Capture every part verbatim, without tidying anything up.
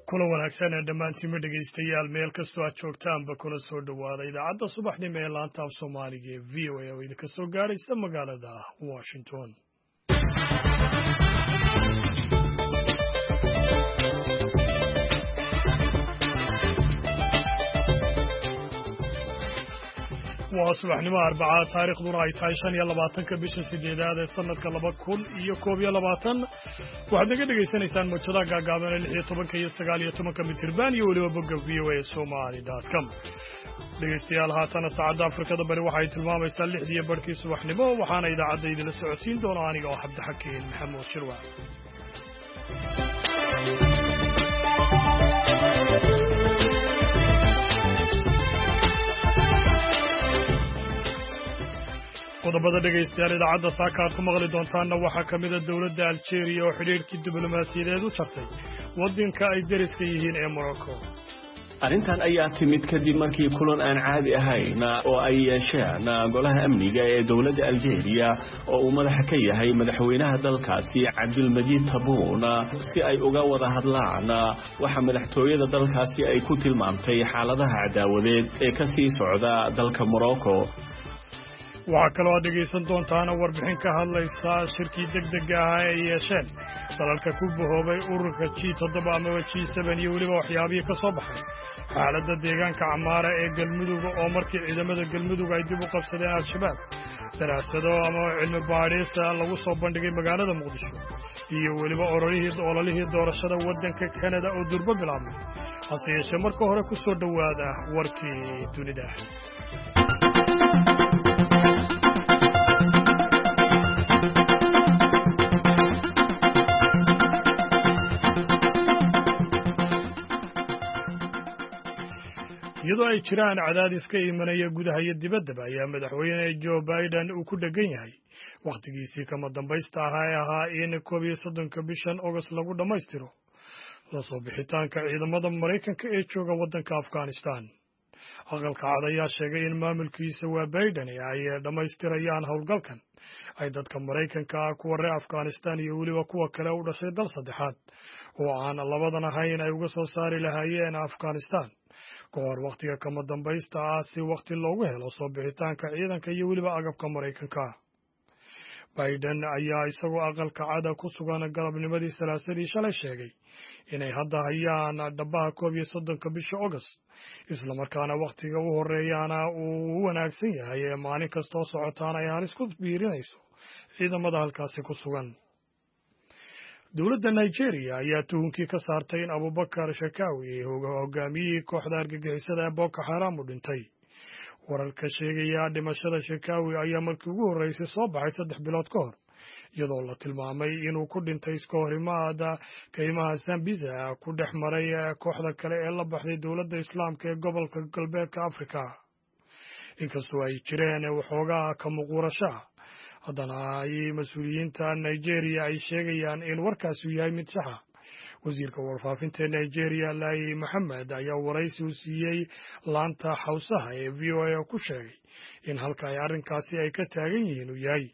Kula wanaagsan ee dhammaantiinma dhegaystayaal, meel kastoo aad joogtaanba, kuna soo dhowaada idaacadda subaxnimo ee laanta af Soomaaliga ee V O A oo idinka soo gaadhaysa magaalada Washington. Waa subaxnimo Arbacaa, taariikhduna ay tahay shan iyo labaatanka bisha sideedaad ee sanadka laba kun iyo koob iyo labaatan. Waxaad naga dhegaysanaysaan mowjadaha gaagaaban ee lix iyo tobanka iyo sagaal iyo tobanka mitirban iyo weliba bogga V O A Somali dot com. Dhegaystayaal, haatana saacadda Afrikada Bari waxay tilmaamaysaa lixdiiyo barhkii subaxnimo, waxaana idaacadda idinla socodsiin doona aniga oo Cabdixakiin Maxamuud Shirwac. Qodobada dhegaystayaal idaacadda saaka aad ku maqli doontaanna waxaa ka mida dowladda Aljeeriya oo xidhiidhkii diblomaasiyadeed u jartay waddanka ay deriska yihiin ee Morocco. Arrintan ayaa timid kadib markii kulan aan caadi ahayn oo ay yeesheen golaha amniga ee dowladda Aljeeriya, oo uu madaxa ka yahay madaxweynaha dalkaasi Cabdilmajiid Tabuun, si ay uga wada hadlaan waxa madaxtooyada dalkaasi ay ku tilmaamtay xaaladaha cadaawadeed ee ka sii socda dalka Morocco. Waxaa kaloo aad dhegaysan doontaana warbixin ka hadlaysa shirkii degdega ahaa ee ay yeesheen dalalka ku bahoobay ururka G toddoba amaba G seven iyo weliba waxyaabihii ka soo baxay, xaaladda deegaanka Camaara ee Galmudug oo markii ciidamada Galmudug ay dib u qabsadeen Al-Shabaab, daraasado ama cilmi baadhis lagu soo bandhigay magaalada Muqdisho, iyo weliba orolihii ololihii doorashada waddanka Kanada oo durbo bilaabmay. Hase yeeshee marka hore ku soo dhowaada warkii dunida. Iyadoo ay jiraan cadaadis ka imanaya gudaha iyo dibaddaba, ayaa madaxweyne Joe Biden uu ku dheggan yahay wakhtigiisii kama dambaysta ahaa ee ahaa in koob iyo soddonka bishan Ogost lagu dhammaystiro la soo bixitaanka ciidamada Maraykanka ee jooga waddanka Afghanistan. Aqalka Cad ayaa sheegay in maamulkiisa waa Biden ay dhammaystirayaan howlgalkan ay dadka Maraykanka ah, kuwa reer Afghanistan iyo weliba kuwa kale u dhashay dal saddexaad oo aan labadan ahayn, ay uga soo saari lahaayeen Afghanistan ka hor wakhtiga kama dambaysta ah, si wakhti loogu helo soo bixitaanka ciidanka iyo weliba agabka Maraykanka. Biden ayaa isagoo Aqalka Cada ku sugan galabnimadii Salaasadii shalay sheegay inay hadda hayaan dhabaha koob iyo soddonka bisha Ogost, islamarkaana wakhtiga u horeeyaana uu u wanaagsan yahay ee maalin kastoo socotaana ay halis ku biirinayso ciidamada halkaasi ku sugan. Dowladda Nigeria ayaa tuhunkii ka saartay in Abubakar Shakawi, hogaamiyihii kooxda argagixisada ee Boko Xaram, u dhintay. Wararka sheegaya dhimashada Shakawi ayaa markii ugu horreysay soo baxay saddex bilood ka hor, iyadoo la tilmaamay inuu ku dhintay iska horimaada kaymaha Sambisa ku dhex maray kooxda kale ee la baxday Dowladda Islaamka ee gobolka galbeedka Afrika. Inkastoo ay jireen waxoogaa ka muquurashaha, haddana ay mas-uuliyiinta Nigeria ay sheegayaan in warkaasi yahay mid saxa. Wasiirka warfaafinta ee Nigeria, Lai Mohammed, ayaa waraysi u siiyey laanta Xawsaha ee V O A ku sheegay in halka ay arrinkaasi ay ka taagan yihiin uu yahay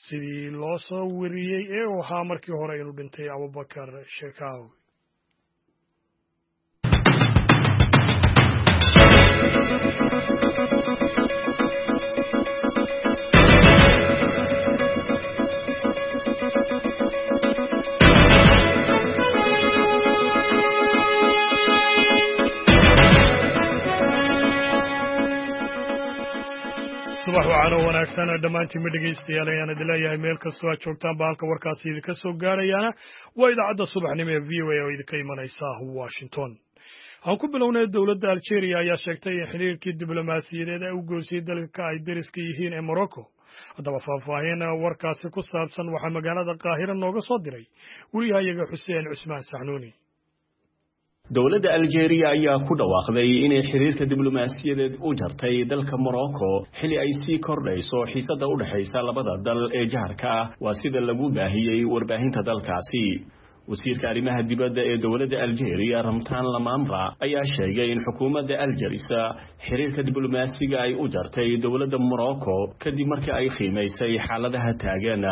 sidii loo soo weriyey ee uu ahaa markii hore inuu dhintay Abubakar Shekaawi. Subax wacan oo wanaagsan dhammaantiinma dhegaystayaal ayaan idin leeyahay meel kastoo aad joogtaan ba. Halka warkaasi idinka soo gaarayaana waa idaacadda subaxnimo ee V O A oo idinka imanaysa Washington. Aan ku bilownay, dowladda Algeria ayaa sheegtay in xiriirkii diblomaasiyadeed ay u goysay dalka ay deriska yihiin ee Morocco. Haddaba faahfaahin warkaasi ku saabsan waxaa magaalada Qaahira nooga soo diray wariyahayaga Xuseen Cusmaan Saxnuuni. Dowladda Aljeeriya ayaa ku dhawaaqday inay xiriirka diblomaasiyadeed u jartay dalka Morocco, xili ay sii kordhayso xiisadda u dhexaysa labada dal ee jaarka ah, waa sida lagu baahiyey warbaahinta dalkaasi. Wasiirka arrimaha dibadda ee dowladda Aljeeriya, Ramtaan Lamamra, ayaa sheegay in xukuumadda Aljerisa xiriirka diblomaasiga ay u jartay dowladda Morocco kadib markii ay qiimaysay xaaladaha taagan.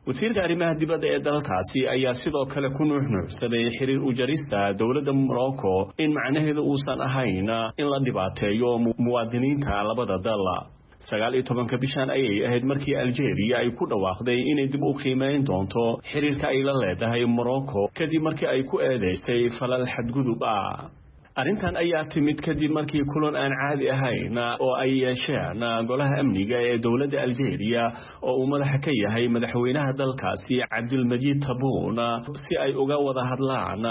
Wasiirka arrimaha dibadda ee dalkaasi ayaa sidoo kale ku nuuxnuuxsaday xiriir u jarista dowladda Morocco in macnaheedu uusan ahayn in la dhibaateeyo muwaadiniinta labada dal. Sagaal iyo tobanka bishan ayay ahayd markii Algeria ay ku dhawaaqday inay dib u qiimeyn doonto xiriirka ay la leedahay Morocco kadib markii ay ku eedeysay falal xadgudub ah. Arrintan ayaa timid kadib markii kulan aan caadi ahayn oo ay yeesheen golaha amniga ee dowladda Algeria oo uu madaxa ka yahay madaxweynaha dalkaasi Cabdilmajiid Taboun si ay uga wada hadlaan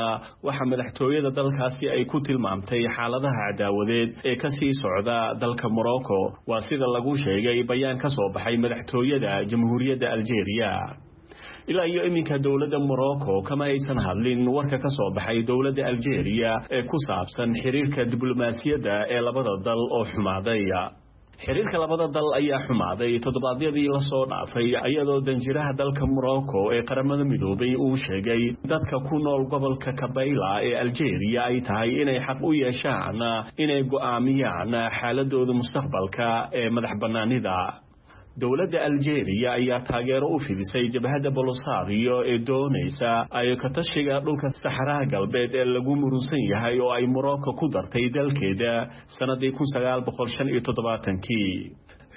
waxa madaxtooyada dalkaasi ay ku tilmaamtay xaaladaha cadaawadeed ee ka sii socda dalka Morocco, waa sida lagu sheegay bayaan ka soo baxay madaxtooyada Jamhuuriyadda Algeria. Ilaa iyo iminka dowladda Morocco kama aysan hadlin warka ka soo baxay dowladda Algeria ee ku saabsan xiriirka diblomaasiyadda ee labada dal oo xumaaday. Xiriirka labada dal ayaa xumaaday toddobaadyadii la soo dhaafay, iyadoo danjiraha dalka Morocco ee Qaramada Midoobay uu sheegay dadka ku nool gobolka Kabayla ee Algeria ay tahay inay xaq u yeeshaan inay go'aamiyaan xaaladooda mustaqbalka ee madax bannaanida. Dowladda Algeria ayaa taageero u fidisay jabhadda Polisario ee doonaysa ay ka tashiga dhulka Saxaraha Galbeed ee lagu murunsan yahay oo ay Morocco ku dartay dalkeeda sanadii kun sagaal boqol shan iyo toddobaatankii.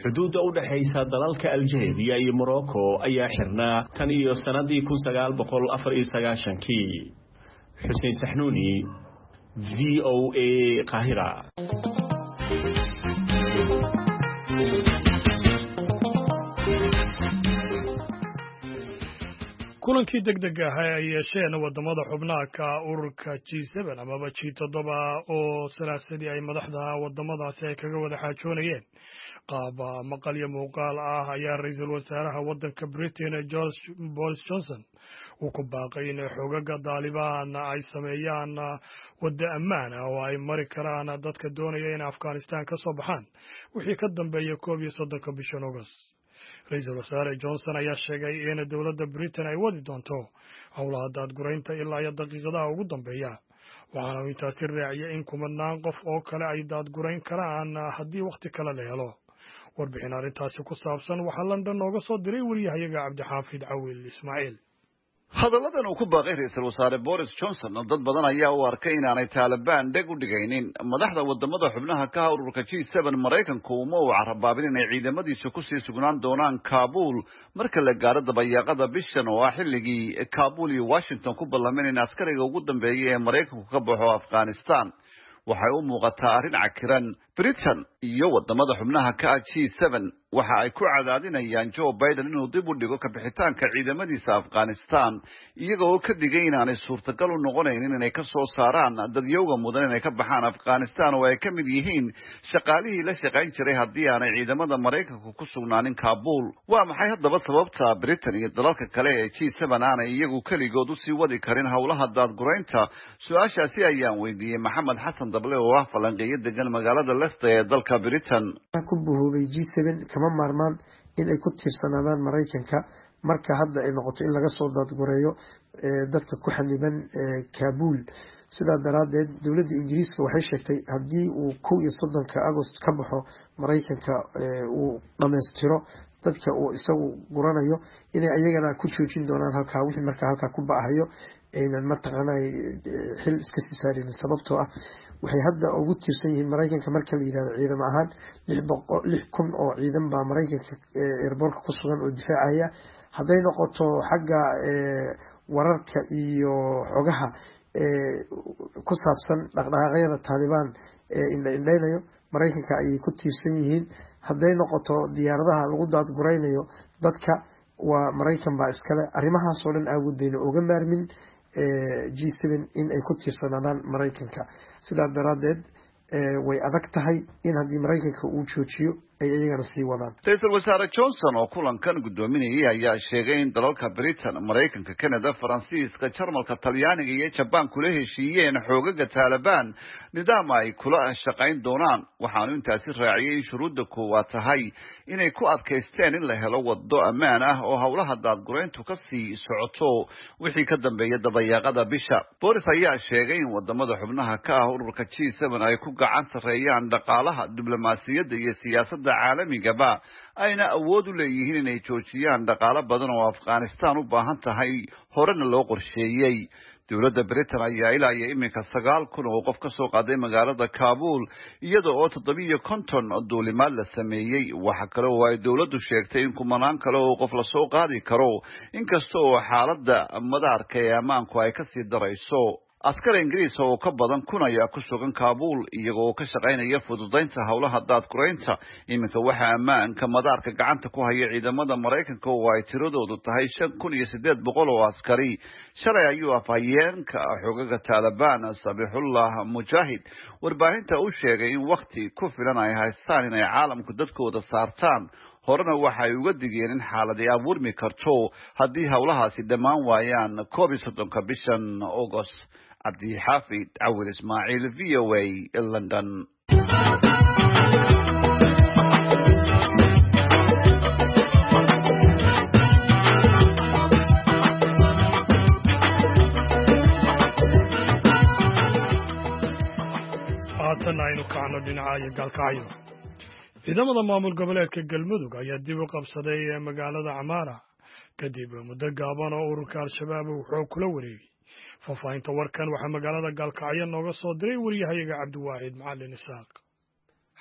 Xuduudda u dhaxaysa dalalka Algeria iyo Morocco ayaa xirnaa tan iyo sanadii kun sagaal boqol afar iyo sagaashankii. Xuseen Saxnuuni, V O A, Qaahira. Kulankii degdega ahaa ay yeesheen wadamada xubnaha ka ururka G seven amaba G toddoba oo salaasadii ay madaxda wadamadaasi ay kaga wada xaajoonayeen qaab maqal iyo muuqaal ah ayaa ra-iisul wasaaraha waddanka Britain George Boris Johnson uu ku baaqay in xogaga Daalibaan ay sameeyaan waddo ammaan ah oo ay mari karaan dadka doonaya in Afghanistan ka soo baxaan wixii ka dambeeya koob iyo soddonka bishan August. Ra-iisul wasaare Johnson ayaa sheegay in dowladda Britain ay wadi doonto howlaha daadguraynta ilaa iyo daqiiqadaha ugu dambeeya, waxaana uu intaasi raaciyay in kumanaan qof oo kale ay daadgurayn karaan haddii wakhti kale la helo. Warbixin arrintaasi ku saabsan waxaa London nooga soo diray wariyahayaga Cabdixaafid Cawil Ismaaciil. Hadalladan uu ku baaqay ra-iisul wasaare Boris Johnson dad badan ayaa u arkay inaanay Taalibaan dheg u dhigaynin. Madaxda wadamada xubnaha ka ah ururka G seven Maraykanku uma uu carabaabin inay ciidamadiisa kusii sugnaan doonaan Kaabul marka la gaaro dabayaaqada bishan oo ah xilligii Kaabul iyo Washington ku ballameen in askariga ugu dambeeya ee Maraykanku ka baxo Afghanistan. Waxay u muuqataa arrin cakiran. Britain iyo wadamada xubnaha ka ah G seven waxa ay ku cadaadinayaan Joe Biden inuu dib u dhigo kabixitaanka ciidamadiisa Afghanistan, iyaga oo ka digay inaanay suurtagal u noqonaynin inay ka soo saaraan dadyowga mudan inay ka baxaan Afghanistan oo ay ka mid yihiin shaqaalihii la shaqayn jiray haddii aanay ciidamada Maraykanku ku sugnaanin Kaabul. Waa maxay haddaba sababta Britain iyo dalalka kale ee G seven aanay iyagu keligood usii wadi karin howlaha daadguraynta? Su-aashaasi ayaan weydiiyey Maxamed Xasan Dable oo ah falanqeeyo degan magaalada Leicester ee dalka Britain. Ku buhoobay G seven kama maarmaan in ay ku tiirsanaadaan Maraykanka marka hadda ay noqoto in laga soo daadgureeyo dadka ku xaniban Kaabul. Sidaa daraaddeed dowladda Ingiriiska waxay sheegtay haddii uu kow iyo soddonka Agost ka baxo Maraykanka uu dhammaystiro dadka uu isagu guranayo inay ayagana ku joojin doonaan halkaa wixii markaa halkaa ku ba'ahayo aynan mataqaanaa xil iska sii saarinin, sababtoo ah waxay hadda ugu tiirsan yihiin Maraykanka marka la yidhahdo ciidamo ahaan lix kun oo ciidan baa Maraykanka airboortka ku sugan oo difaacaya. Hadday noqoto xagga wararka iyo xogaha ku saabsan dhaqdhaqaaqyada Taalibaan ee indha-indhaynayo Maraykanka ayay ku tiirsan yihiin. Hadday noqoto diyaaradaha lagu daadguraynayo dadka waa Maraykan baa iskale. Arrimahaasoo dhan aawood bayna uga maarmin G seven in ay ku tiirsanaadaan Maraykanka. Sidaa daraaddeed way adag tahay in haddii Maraykanka uu joojiyo ay iyagana sii wadaan. Ra-iisul wasaare Johnson oo kulankan guddoominayay ayaa sheegay in dalalka Britain, Maraykanka, Canada, Faransiiska, Jarmalka, Talyaaniga iyo Jabaan kula heshiiyeen xoogaga Taalibaan nidaam ay kula shaqayn doonaan. Waxaanu intaasi raaciyay in shuruudda koowaad tahay inay ku adkaysteen in la helo waddo ammaan ah oo howlaha daadgurayntu ka sii socoto wixii ka dambeeya dabayaaqada bisha. Boris ayaa sheegay in wadamada xubnaha ka ah ururka G seven ay ku gacan sarreeyaan dhaqaalaha, diblomaasiyadda iyo siyaasadda saaxiibada caalamigaba ayna awood u leeyihiin inay joojiyaan dhaqaalo badan oo Afghanistan u baahan tahay horena loo qorsheeyey. Dowladda Britain ayaa ilaa iyo iminka sagaal kun oo qof ka soo qaaday magaalada Kabul, iyada oo toddobiyo konton duulimaad la sameeyey. Waxa kale oo ay dowladdu sheegtay in kumanaan kale oo qof lasoo qaadi karo, inkasta oo xaaladda madaarka ee ammaanku ay kasii darayso. Askar Ingiriis oo ka badan kun ayaa ku sugan Kabul, iyagoo ka shaqaynaya fududaynta howlaha daadguraynta. Iminka waxaa ammaanka madaarka gacanta ku haya ciidamada Maraykanka oo ay tiradoodu tahay shan kun iyo siddeed boqol oo askari. Shalay ayuu afhayeenka xogaga Taalibaan Sabixullah Mujaahid warbaahinta u sheegay in wakhti ku filan ay haystaan inay caalamku dadkooda saartaan. Horena waxa ay uga digeen in xaaladi abuurmi karto haddii howlahaasi dhammaan waayaan koob iyo soddonka bishan August. Cabdixaafid Cawil Ismaaciil, V O A, London. Haatan aynu kacno dhinaca iyo Gaalkacyo. Ciidamada maamul goboleedka Galmudug ayaa dib u qabsaday magaalada Camaara kadib muddo gaaban oo ururka Al-Shabaab uu xoog kula wareegay. Faahfaahinta warkan waxaa magaalada Gaalkacyo nooga soo diray wariyahayaga Cabdiwaahid Macalin Isaaq.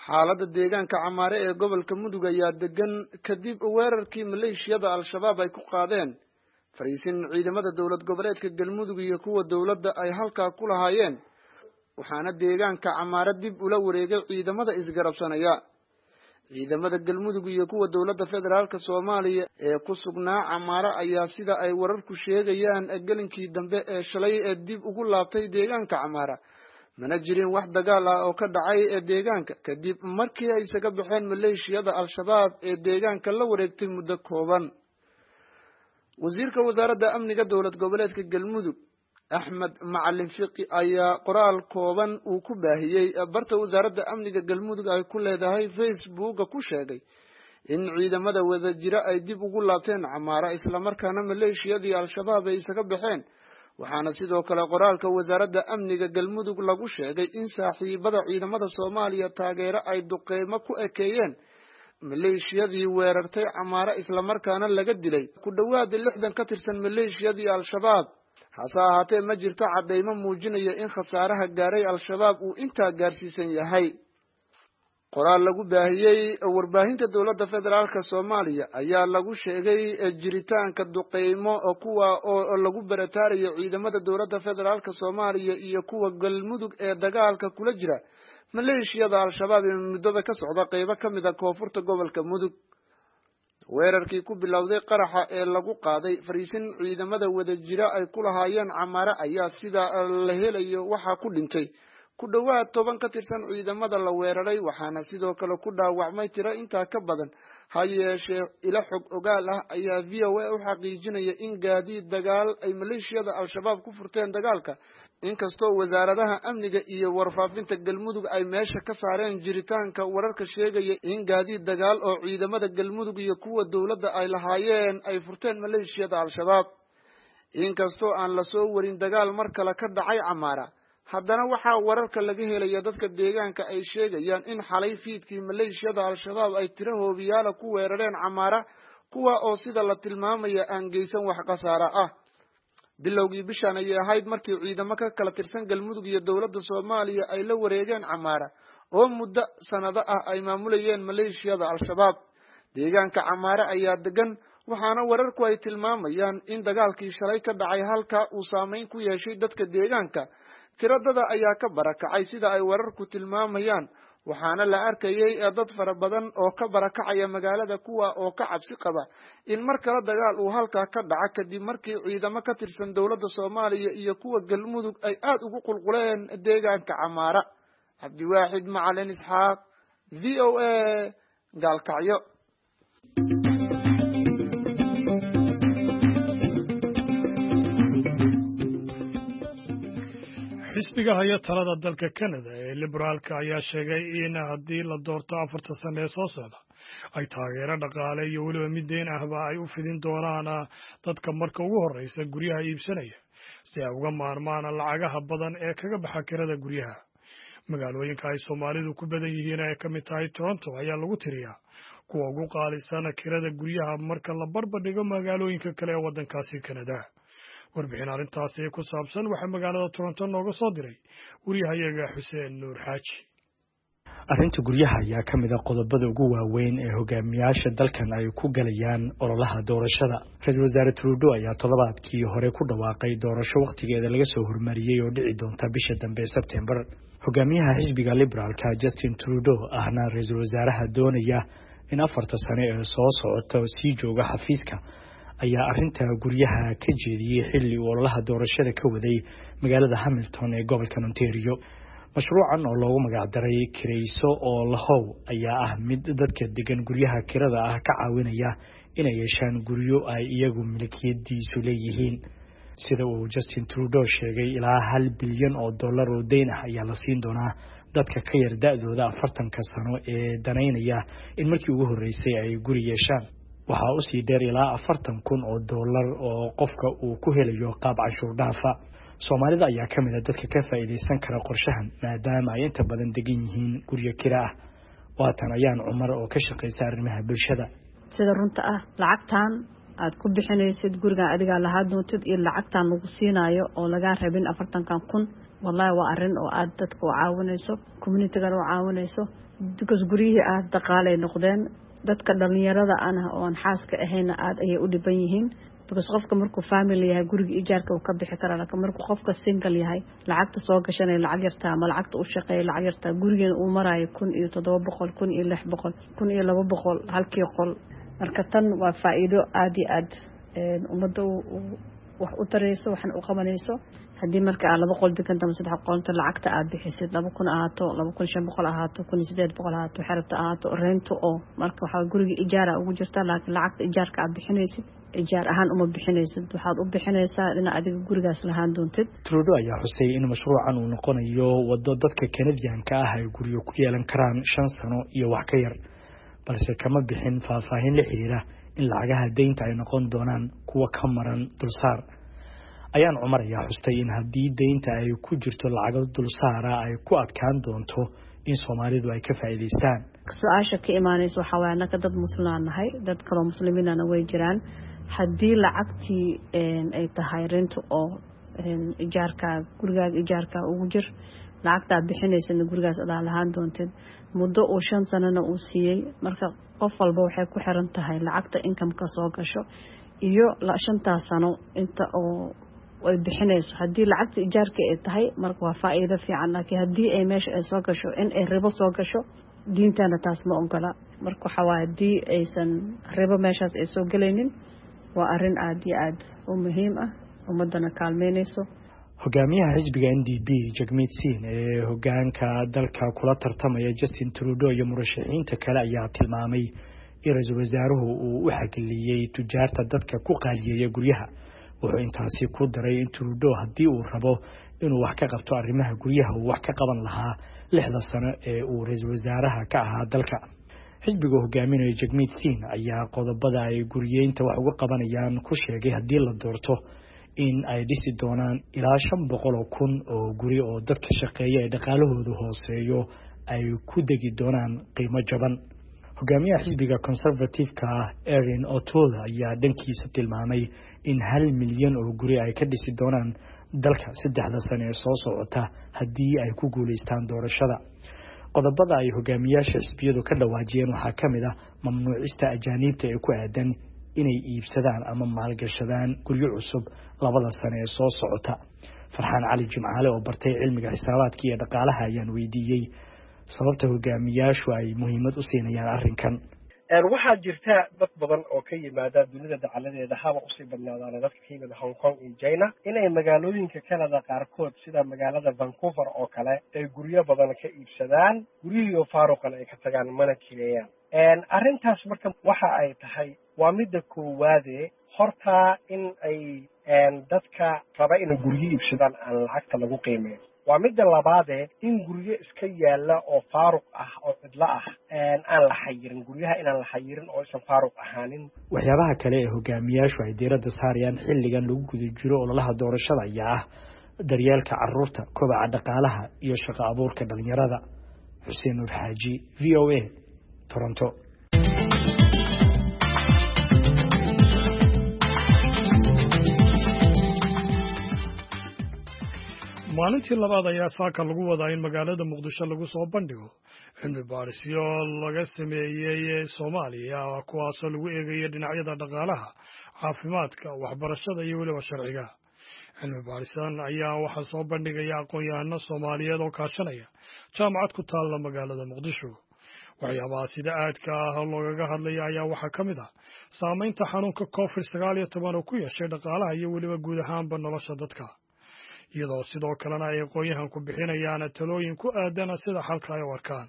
Xaaladda deegaanka Camaare ee gobolka Mudug ayaa degan kadib weerarkii maleeshiyada Al-Shabaab ay ku qaadeen fariisin ciidamada dowlad goboleedka Galmudug iyo kuwa dowladda ay halkaa ku lahaayeen, waxaana deegaanka Camaare dib ula wareegay ciidamada isgarabsanaya. Ciidamada Galmudug iyo kuwa dowladda federaalka Soomaaliya ee ku sugnaa Camaare ayaa sida ay wararku sheegayaan gelinkii dambe ee shalay ee dib ugu laabtay deegaanka Camaare. Mana jirin wax dagaal ah oo ka dhacay ee deegaanka kadib markii ay isaga baxeen maleeshiyada Al-Shabaab ee deegaanka la wareegtay muddo kooban. Wasiirka wasaaradda amniga dowlad goboleedka Galmudug Axmed Macalin Fiqi ayaa qoraal kooban uu ku baahiyey barta wasaaradda amniga Galmudug ay ku leedahay Facebooka ku sheegay in ciidamada wadajira ay dib ugu laabteen Camaara, islamarkaana maleeshiyadii Al-Shabaab ay isaga baxeen. Waxaana sidoo kale qoraalka wasaaradda amniga Galmudug lagu sheegay in saaxiibada ciidamada Soomaaliya taageero ay duqeymo ku ekeeyeen maleeshiyadii weerartay Camaara, islamarkaana laga dilay ku dhowaad lixdan ka tirsan maleeshiyadii Al-Shabaab. Hase ahaatee ma jirto caddaymo muujinaya in khasaaraha gaaray Al-Shabaab uu intaa gaarsiisan yahay. Qoraal lagu baahiyey warbaahinta dowladda federaalka Soomaaliya ayaa lagu sheegay jiritaanka duqeymo kuwa oo lagu barataarayo ciidamada dowladda federaalka Soomaaliya iyo kuwa Galmudug ee dagaalka kula jira maleeshiyada Al-Shabaab ee muddada ka socda qeybo ka mid ah koonfurta gobolka Mudug. Weerarkii ku bilowday qaraxa ee lagu qaaday fariisin ciidamada wadajira ay ku lahaayeen Camaare ayaa sida la helayo waxaa ku dhintay ku dhowaad toban ka tirsan ciidamada la weeraray, waxaana sidoo kale ku dhaawacmay tiro intaa ka badan. Ha yeeshee ilo xog ogaal ah ayaa V O A u xaqiijinaya in gaadiid dagaal ay maleeshiyada Al-Shabaab ku furteen dagaalka, inkastoo wasaaradaha amniga iyo warfaafinta Galmudug ay meesha ka saareen jiritaanka wararka sheegaya in gaadiid dagaal oo ciidamada Galmudug iyo kuwa dowladda ay lahaayeen ay furteen maleeshiyada Al-Shabaab. Inkastoo aan la soo warin dagaal mar kale ka dhacay Camaara, haddana waxaa wararka laga helaya dadka deegaanka ay sheegayaan in xalay fiidkii maleeshiyada Al-Shabaab ay tiro hoobiyaala ku weerareen Camaara, kuwa oo sida la tilmaamaya aan geysan wax khasaare ah. Bilowgii bishan ayay ahayd markii ciidamo ka kala tirsan Galmudug iyo dowladda Soomaaliya ay la wareegeen Camaara oo muddo sanado ah ay maamulayeen maleeshiyada Al-Shabaab. Deegaanka Camaara ayaa degan, waxaana wararku ay tilmaamayaan in dagaalkii shalay ka dhacay halka uu saameyn ku yeeshay dadka deegaanka. Tiradada ayaa ka barakacay sida ay wararku tilmaamayaan, waxaana la arkayay dad fara badan oo ka barakacaya magaalada, kuwa oo ka cabsi qaba in mar kale dagaal uu halkaa ka dhaca kadib markii ciidamo ka tirsan dowladda Soomaaliya iyo kuwa Galmudug ay aad ugu qulquleen deegaanka Camaara. Cabdiwaaxid Macalin Isxaaq, V O A, Gaalkacyo. Xisbiga haya talada dalka Canada ee Liberaalka ayaa sheegay in haddii la doorto afarta sano ee soo socda ay taageero dhaqaale iyo weliba mid deyn ahba ay u fidin doonaan dadka marka ugu horreysa guryaha iibsanaya si ay uga maarmaan lacagaha badan ee kaga baxa kirada guryaha. Magaalooyinka ay Soomaalidu ku badan yihiin ay ka mid tahay Toronto ayaa lagu tiriyaa kuwa ugu qaalisan kirada guryaha marka la barbardhigo magaalooyinka kale ee waddankaasi Kanada. Warbixin arrintaasi ku saabsan waxaa magaalada Toronto nooga soo diray wariyahayaga Xuseen Nuur Xaaji. Arrinta guryaha ayaa ka mid ah qodobada ugu waaweyn ee hogaamiyaasha dalkan ay ku galayaan ololaha doorashada. Ra-iisul wasaare Trudeau ayaa toddobaadkii hore ku dhawaaqay doorasho wakhtigeeda laga soo hormariyey oo dhici doonta bisha dambe Sebtembar. Hogaamiyaha xisbiga Liberaalka Justin Trudeau, ahna ra-iisul wasaaraha doonaya in afarta sano ee soo socota sii jooga xafiiska, ayaa arrinta guryaha ka jeediyey xilli uu ololaha doorashada ka waday magaalada Hamilton ee gobolka Ontario. Mashruucan oo loogu magacdaray Kirayso oo Lahow ayaa ah mid dadka degan guryaha kirada ah ka caawinaya inay yeeshaan guryo ay iyagu milkiyadiisu leeyihiin. Sida uu Justin Trudeau sheegay, ilaa hal bilyan oo dollar oo deyn ah ayaa la siin doonaa dadka ka yar da-dooda afartanka sano ee danaynaya in markii ugu horreysay ay guri yeeshaan. Waxaa usii dheer ilaa afartan kun oo dollar oo qofka uu ku helayo qaab canshuur dhaafa. Soomaalida ayaa ka mid a dadka ka faa'iidaysan kara qorshahan, maadaama ay inta badan degan yihiin guryo kira ah. Waatan Ayaan Cumar oo ka shaqaysa arrimaha bulshada. Sida runta ah, lacagtan aad ku bixinaysid gurigan adigaa lahaa doontid iyo lacagtan lagu siinaayo oo lagaa rabin afartankan kun, wallahi waa arrin oo aad dadka u caawinayso, communitygana u caawinayso, because guryihii aad daqaalay noqdeen. Dadka dhalinyarada ana oon xaaska ahayna aad ayay u dhiban yihiin, because qofka markuu family yahay guriga ijaarka uu ka bixi karaa, laakiin markuu qofka single yahay lacagta soo gashanaya lacag yartaa ama lacagta u shaqeeya lacag yartaa, gurigeena uu maraayo kun iyo toddoba boqol, kun iyo lix boqol, kun iyo laba boqol halkii qol. Marka tan waa faa'iido aada iyo aad ummadda wax u tarayso waxna u qabanayso. Haddii marka aad laba qol deganta ama saddex qolta, lacagta aad bixisid laba kun ahaato, laba kun shan boqol ahaato, kun iyo sideed boqol ahaato, xerabta ahaato rento oo marka waxaa guriga ijaara ugu jirta, laakiin lacagta ijaarka aad bixinaysid ijaar ahaan uma bixinaysid, waxaad u bixinaysaa dhinac adiga gurigaas lahaan doontid. Trudeau ayaa xusay in mashruucan uu noqonayo waddo dadka Kanadiyanka ah ay guryo ku yeelan karaan shan sano iyo wax ka yar, balse kama bixin faahfaahin la xiriira in lacagaha deynta ay noqon doonaan kuwa ka maran dulsaar. Ayaan Cumar ayaa xustay in haddii deynta ay ku jirto lacago dulsaara ay ku adkaan doonto in Soomaalidu ay ka faa'iidaystaan. Su-aasha ka imaanaysa waxaa waaya, annaka dad muslimaan nahay, dad kaloo muslimiinana way jiraan. Haddii lacagtii ay tahay rento oo ijaarkaa gurigaaga ijaarkaa ugu jir, lacagtaa bixinaysadna gurigaas adaa lahaan doontid muddo uu shan sanana uu siiyey. Marka qof walba waxay ku xiran tahay lacagta inkameka soo gasho iyo shantaas sano inta oo ay bixinayso. Haddii lacagta ijaarka ay tahay marka waa faa'iido fiican, laakiin haddii ay meesha ay soo gasho in ay ribo soo gasho, diintana taas ma ogola. Marka waxaa waaya haddii aysan ribo meeshaas ay soo gelaynin, waa arrin aada iyo aada u muhiim ah, ummaddana kaalmeynayso. Hogaamiyaha xisbiga N D P Jagmeet Singh ee hogaanka dalka kula tartamaya Justin Trudeau iyo murashaxiinta kale ayaa tilmaamay in ra-iisul wasaaruhu uu u xagliyey tujaarta dadka ku qaaliyeeya guryaha. Wuxuu intaasi ku daray in Trudeau haddii uu rabo inuu wax ka qabto arrimaha guryaha uu wax ka qaban lahaa lixda sano ee uu ra-iisul wasaaraha ka ahaa dalka. Xisbiga hogaaminaya Jagmeet Singh ayaa qodobada ay guriyeynta wax uga qabanayaan ku sheegay haddii la doorto in ay dhisi doonaan ilaa shan boqol oo kun oo guri oo dadka shaqeeya ee dhaqaalahoodu hooseeyo ay ku degi doonaan qiimo jaban. Hogaamiyaha xisbiga Conservative-ka ah Erin O'Toole ayaa dhankiisa tilmaamay in hal milyan oo guri ay ka dhisi doonaan dalka saddexda sano ee soo socota haddii ay ku guulaystaan doorashada. Qodobada ay hogaamiyaasha xisbiyadu ka dhawaajiyeen waxaa ka mid ah mamnuucista ajaaniibta ee ku aadan inay iibsadaan ama maalgashadaan guryo cusub labada sano ee soo socota. Farxaan Cali Jimcaale oo bartay cilmiga xisaabaadka iyo dhaqaalaha ayaan weydiiyey sababta hogaamiyaashu ay muhiimad u siinayaan arrinkan. Waxaa jirta dad badan oo ka yimaada dunida dacaladeeda, haba usii badnaadaana dadka ka yimid Hong Kong iyo China, inay magaalooyinka Canada qaarkood sida magaalada Vancouver oo kale ay guryo badan ka iibsadaan, guryihiioo faaruqan ay ka tagaan mana kireeyaan. Arrintaas marka waxa ay tahay waa midda koowaade, hortaa in ay dadka raba inay guryo iibsadaan aan lacagta lagu qiimeyn. Waa midda labaadee, in guryo iska yaalla oo faaruq ah oo cidlo ah aan la xayirin, guryaha inaan la xayirin oo aysan faaruq ahaanin. Waxyaabaha kale ee hogaamiyaashu ay diiradda saarayaan xilligan lagu guda jiro ololaha doorashada ayaa ah daryeelka caruurta, kobaca dhaqaalaha iyo shaqo abuurka dhalinyarada. Xuseen Nuur Xaaji, V O A, Toronto. Maalintii labaad ayaa saaka lagu wadaa in magaalada Muqdisho lagu soo bandhigo cilmi baarisyo laga sameeyey Soomaaliya, kuwaasoo lagu eegayo dhinacyada dhaqaalaha, caafimaadka, waxbarashada iyo weliba sharciga. Cilmi baarisan ayaa waxaa soo bandhigaya aqoon-yahano Soomaaliyeed oo kaashanaya jaamacad ku taalla magaalada Muqdisho. Waxyaabaha sida aadka ah loogaga hadlaya ayaa waxaa ka mid ah saamaynta xanuunka covid sagaal iyo toban oo ku yeeshay dhaqaalaha iyo weliba guud ahaanba nolosha dadka, iyadoo sidoo kalena ay aqoon-yahanku bixinayaan talooyin ku aadana sida xalka ay u arkaan.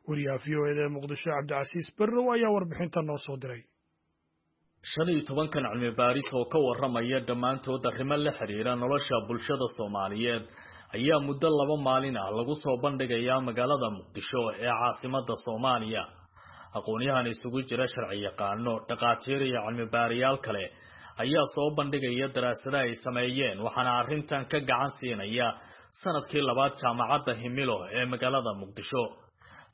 Wariyaha V O E da ee Muqdisho, Cabdicasiis Berrow, ayaa warbixinta noo soo diray. Shan iyo tobankan cilmi baaris oo ka warramaya dhammaantood arrimo la xiriira nolosha bulshada Soomaaliyeed ayaa muddo laba maalin ah lagu soo bandhigayaa magaalada Muqdisho ee caasimadda Soomaaliya. Aqoon-yahan isugu jira sharci yaqaano, dhaqaatiir iyo cilmi baariyaal kale ayaa soo bandhigaya daraasada ay sameeyeen, waxaana arrintan ka gacan siinaya sanadkii labaad jaamacadda Himilo ee magaalada Muqdisho.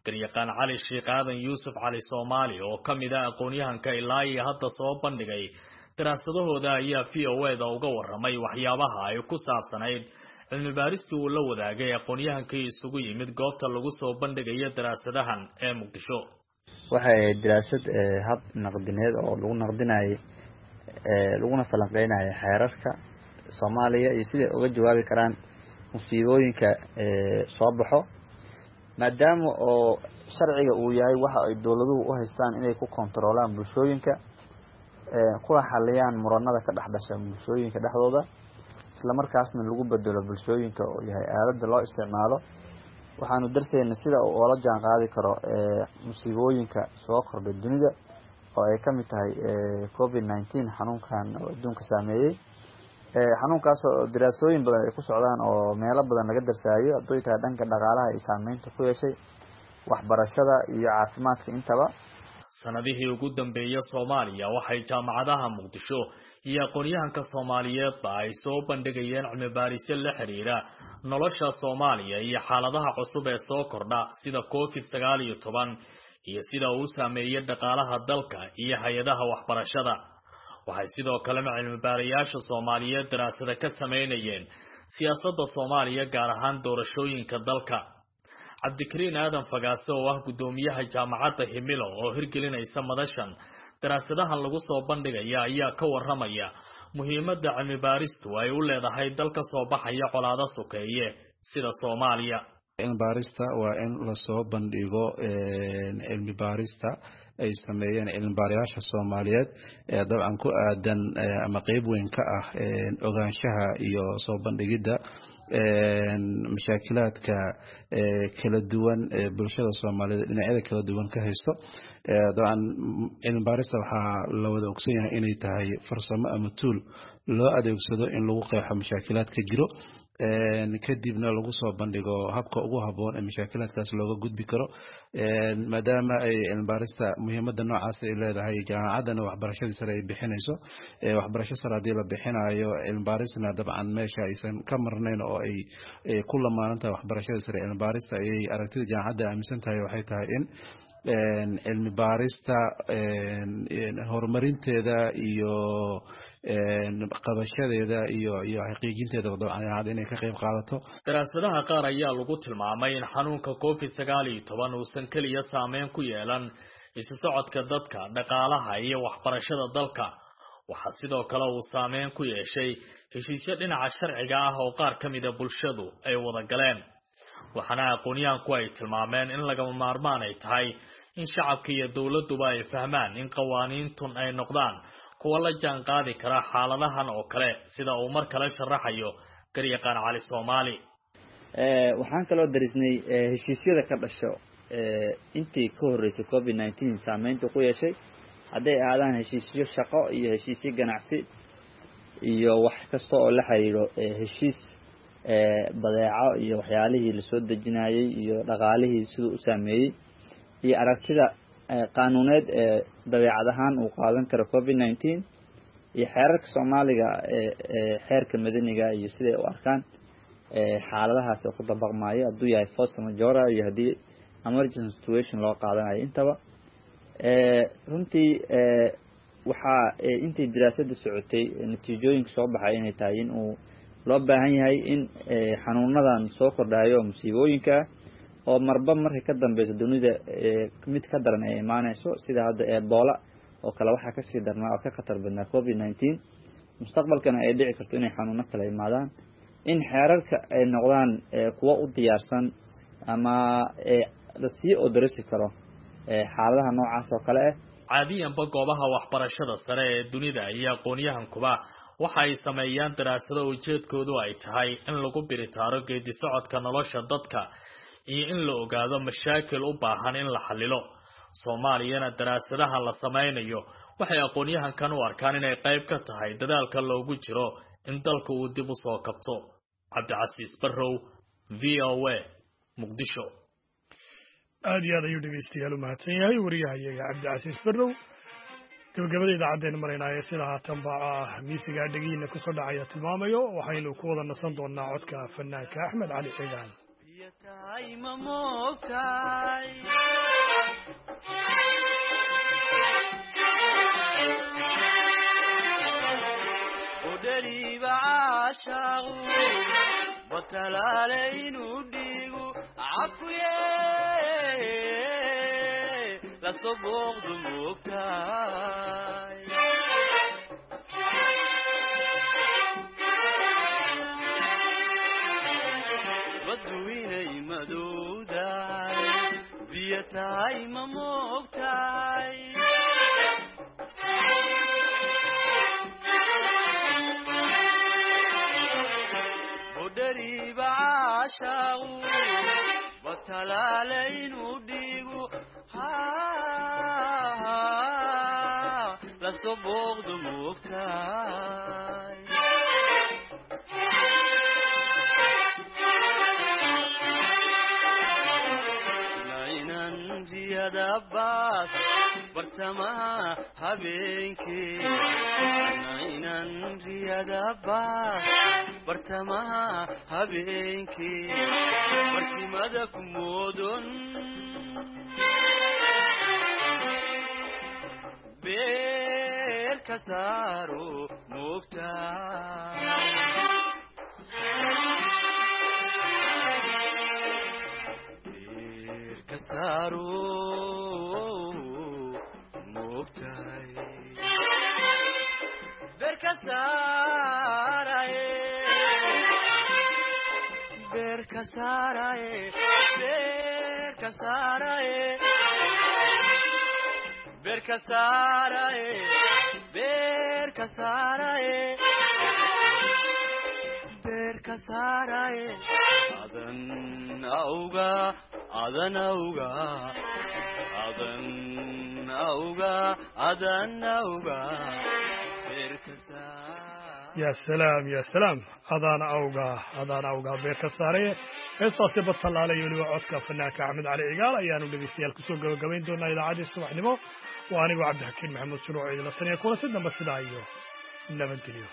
Garyaqaan Cali Sheekh Aadan Yuusuf Cali Soomaali oo ka mid ah aqoon-yahanka ilaa iyo hadda soo bandhigay daraasadahooda ayaa V O A da uga warramay waxyaabaha ay ku saabsanayd cilmi baaristii uu la wadaagay aqoon-yahankii isugu yimid goobta lagu soo bandhigayo daraasadahan ee Muqdisho. Waxay ahayd daraasad hab naqdineed oo lagu naqdinayay laguna falanqeynayo xeerarka Soomaaliya iyo siday uga jawaabi karaan musiibooyinka soo baxo, maadaama oo sharciga uu yahay waxa ay dowladuhu u haystaan inay ku kontaroolaan bulshooyinka, kuna xaliyaan muranada ka dhex dhasha bulshooyinka dhexdooda, isla markaasna lagu bedelo bulshooyinka oo yahay aaladda loo isticmaalo. Waxaanu darsaynay sida uu oola jaan qaadi karo musiibooyinka soo kordhay dunida oo ay ka mid tahay covid nineteen, xanuunkan oo adduunka saameeyey, xanuunkaas oo daraasooyin badan ay ku socdaan oo meelo badan laga darsaayo, hadday tahay dhanka dhaqaalaha ay saameynta ku yeeshay, waxbarashada iyo caafimaadka intaba. Sanadihii ugu dambeeyay Soomaaliya waxay jaamacadaha Muqdisho iyo aqoon-yahanka Soomaaliyeedba ay soo bandhigayeen cilmi baarisyo la xiriira nolosha Soomaaliya iyo xaaladaha cusub ee soo kordha sida covid sagaal iyo toban iyo sida uu saameeyay dhaqaalaha dalka iyo hay-adaha waxbarashada. Waxay sidoo kalena cilmi baarayaasha Soomaaliyeed daraasada ka sameynayeen siyaasadda Soomaaliya, gaar ahaan doorashooyinka dalka. Cabdikariin Aadan Fagaase oo ah guddoomiyaha jaamacadda Himilo oo hirgelinaysa madashan daraasadahan lagu soo bandhigaya ayaa ka warramaya muhiimadda cilmi baaristu ay u leedahay dalka soo baxaya colaado sokeeye sida Soomaaliya. Cilmi baarista waa in lasoo bandhigo cilmi baarista ay sameeyeen cilmi baarayaasha Soomaaliyeed ee dabcan ku aadan ama qeyb weyn ka ah ogaanshaha iyo soo bandhigidda mashaakilaadka kala duwan ee bulshada Soomaaliyeed dhinacyada kala duwan ka haysto. Dabcan cilmi baarista waxaa la wada ogson yahay inay tahay farsamo ama tool loo adeegsado in lagu qeexo mashaakilaadka jiro, kadibna lagu soo bandhigo habka ugu habboon ee mashaakilaadkaas looga gudbi karo. Maadaama ay cilmi baarista muhiimadda noocaas ay leedahay, jaamacaddana waxbarashadii sare ay bixinayso, waxbarasho sare haddii la bixinayo cilmi baarisna dabcan meesha aysan ka marnayn oo ay ku lamaanan tahay waxbarashadii sare cilmi baarista, ayay aragtida jaamacadda aaminsan tahay waxay tahay in cilmi baarista horumarinteeda iyo qabashadeeda iyo iyo xaqiijinteeda dabcan jaamacadda inay ka qayb qaadato. Daraasadaha qaar ayaa lagu tilmaamay in xanuunka covid sagaal iyo toban uusan keliya saameyn ku yeelan isu socodka dadka, dhaqaalaha iyo waxbarashada dalka. Waxaa sidoo kale uu saameyn ku yeeshay heshiisyo dhinaca sharciga ah oo qaar ka mid a bulshadu ay wada galeen. Waxaana aqoonyahanku ay tilmaameen in lagama maarmaan ay tahay in shacabka iyo dowladduba ay fahmaan in qawaaniintun ay noqdaan kuwa la jaan qaadi kara xaaladahan oo kale, sida uu mar kale sharaxayo garyaqaan Cali Soomaali. Waxaan kaloo darisnay heshiisyada ka dhasho intii ka horreysay covid nineteen saameynta ku yeeshay, hadday ahaadaan heshiisyo shaqo iyo heshiisyo ganacsi iyo wax kasta oo la xiriiro heshiis badeeco iyo waxyaalihii lasoo dejinayay iyo dhaqaalihii siduu u saameeyey iyo aragtida qaanuuneed ee dabeecad ahaan uu qaadan karo covid nineteen iyo xeerarka Soomaaliga ee xeerka madaniga iyo siday u arkaan. xaaladahaas oo ku dabaqmaayo hadduu yahay force majeure iyo haddii emergency situation loo qaadanayo intaba. Runtii waxaa intay daraasadda socotay natiijooyinka soo baxay inay tahay in uu loo baahan yahay in xanuunadan soo kordhayo musiibooyinka oo marba markay ka dambeyso dunida mid ka daran ay imaaneyso, sida hadda Ebola oo kale waxaa kasii darnaa oo ka khatar badnaa covid nineteen, mustaqbalkana ay dhici karto inay xanuuno kale imaadaan, in xeerarka ay noqdaan kuwo u diyaarsan ama lasii odarasi karo xaaladaha noocaas oo kale ah. Caadiyanba goobaha waxbarashada sare ee dunida iyo aqoon-yahankuba waxa ay sameeyaan daraasado ujeedkoodu ay tahay in lagu biritaaro geedi socodka nolosha dadka iyo in la ogaado mashaakil u baahan in la xalilo. Soomaaliyana daraasadaha la sameynayo waxay aqoon-yahankan u arkaan inay qayb ka tahay dadaalka loogu jiro in dalka uu dib u soo kabto. Cabdicasiis Barrow, V O A, Muqdisho. Aad iyo aad ayuu dhegeystayaal u mahadsan yahay wariyahayaga Cabdicasiis Barrow. Gabagabada idaacaddeenna maraynaaye sida haatan ba ah miisigaa dhegihiina kusoo dhacaya tilmaamayo, waxaynu ku wada nasan doonaa codka fanaanka Axmed Cali Cigaan. Lasoo booqdu moogtahay baddu inay madowdahay biyo tahay ma moogtahay budhariiba caashaaqu batalaale inuu dhiigu lasoo booqdu moogtahay nainan riyada baas bartamaha habeenkii nainan riyada baas bartamaha habeenkii barkimada ku moodon beer ka saaro moogtahay beer ka saaro moogtahay beer ka saaraye beer ka saaraye beer ka saaraye beer ka saaraye beer ka saaraye beer ka saaraye adan awga adan awga adan awga adan awga beer ka saaraye. Ya salaam ya salaam, adaan awga adaan awga beer ka saaraye. Heestaasi batalaale iyo weliba codka fanaanka Axmed Cali Cigaal ayaanu dhegeystayaal kusoo gabagabayn doonaa idaacaddii subaxnimo. Waa anigoo Cabdixakiin Maxamuud Shuruuc idinla taniya kulanti dambe, sidaa iyo nabadgelyo.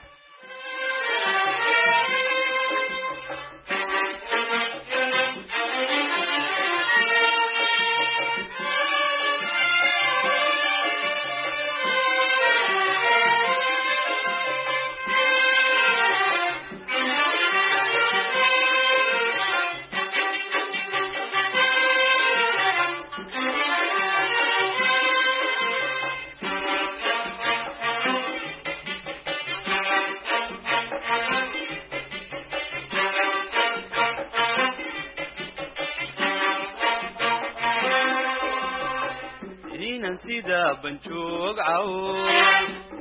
Inan sida banjoog caw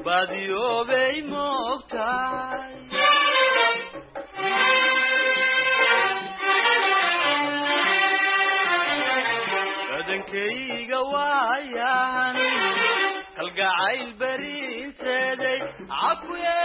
baadiyoobay moogtahay badankayga waayan kalgacayl bariinseeday cakuye.